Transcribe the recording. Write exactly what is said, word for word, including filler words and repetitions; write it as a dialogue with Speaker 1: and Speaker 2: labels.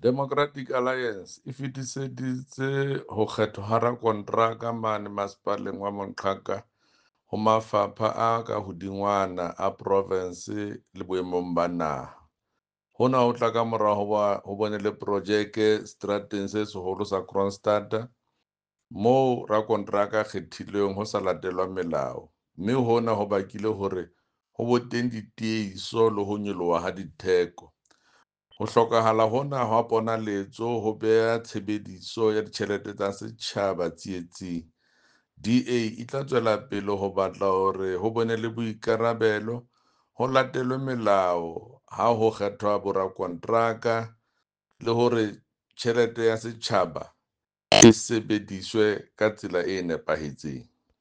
Speaker 1: Democratic Alliance e fetiseditse ho kgethwa ha rakonteraka mane Masepaleng wa Moqhaka ho mafapha a ka hodingwana a provense le boemong ba naha. Hona ho tla kamora hoba ho bone le projeke seterateng se seholo sa Kroonstad moo rakonteraka a kgethilweng ho sa latelwa melao, mme hona ho bakile hore ho be teng ditiehiso le ho nyoloha ha ditheko. Ho hlokahala hona ha ponaletso ho beha tshebediso ya ditjhelete tsa setjhaba tsietsing. D A e tla tswela pele ho batla hore ho be le boikarabelo, ho latelwe melao ha ho kgethwa borakonteraka le hore tjhelete ya setjhaba e sebediswe ka tsela e nepahetseng.